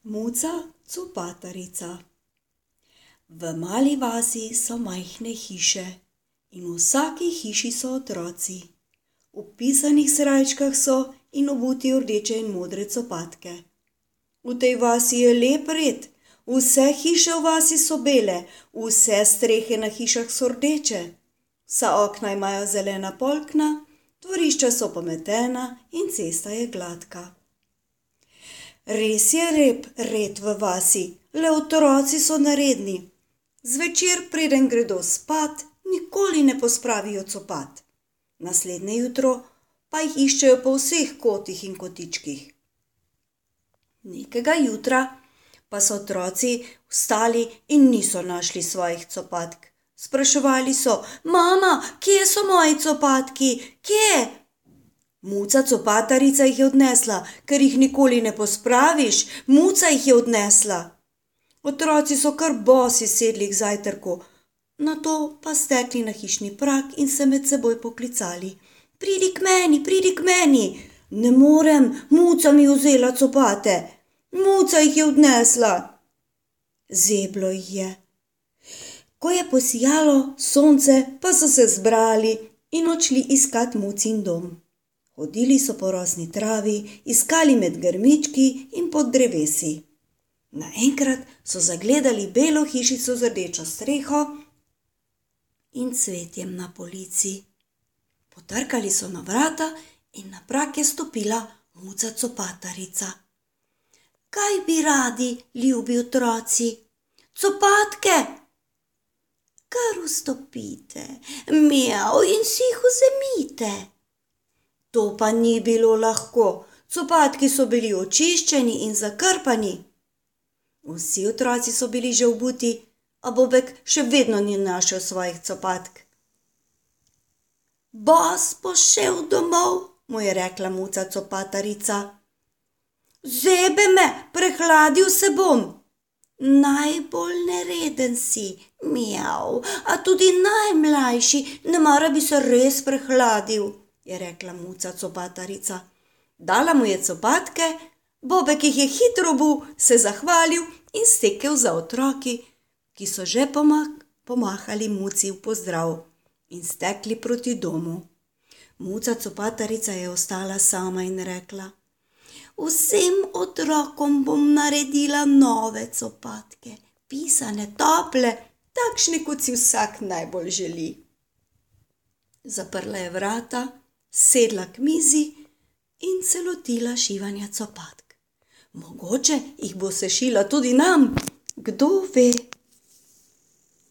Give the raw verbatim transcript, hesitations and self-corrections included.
Muca copatarica. V mali vasi so majhne hiše in v vsaki hiši so otroci. V pisanih srajčkah so in obuti v rdeče in modre copatke. V tej vasi je lep red, vse hiše v vasi so bele, vse strehe na hišah so rdeče, vsa okna imajo zelena polkna, dvorišča so pometena in cesta je gladka. Res je lep red v vasi, le otroci so neredni. Zvečer, preden gredo spat, nikoli ne pospravijo copat. Naslednje jutro pa jih iščejo po vseh kotih in kotičkih. Nekega jutra pa so otroci vstali in niso našli svojih copatk. Spraševali so: Mama, kje so moji copatki? Kje? Muca copatarica jih je odnesla, ker jih nikoli ne pospraviš. Muca jih je odnesla. Otroci so kar bosi sedli k zajtrku, nato pa stekli na hišni prag in se med seboj poklicali: Pridi k meni, pridi k meni. Ne morem, Muca mi je vzela copate. Muca jih je odnesla. Zeblo jih je. Ko je posijalo sonce, pa so se zbrali in odšli iskat Mucin dom. Hodili so po rosni travi, iskali med grmički in pod drevesi. Naenkrat so zagledali belo hišico z rdečo streho in cvetjem na polici. Potrkali so na vrata in na prag je stopila Muca copatarica. Kaj bi radi, ljubi otroci? Copatke! Kar vstopite, mjav, in si jih vzemite. To pa ni bilo lahko, copatki so bili očiščeni in zakrpani. Vsi otroci so bili že obuti, a Bobek še vedno ni našel svojih copatk. Bos bo šel domov, mu je rekla Muca copatarica. Zebe me, prehladil se bom. Najbolj nereden si, mjav, a tudi najmlajši, nemara bi se res prehladil, je rekla Muca copatarica. Dala mu je copatke, Bobek jih je hitro obul, se zahvalil in stekel za otroki, ki so že pomahali Muci v pozdrav in stekli proti domu. Muca copatarica je ostala sama in rekla: Vsem otrokom bom naredila nove copatke, pisane, tople, takšne, kot si vsak najbolj želi. Zaprla je vrata, sedla k mizi in se lotila šivanja copatk. Mogoče jih bo sešila tudi nam, kdo ve.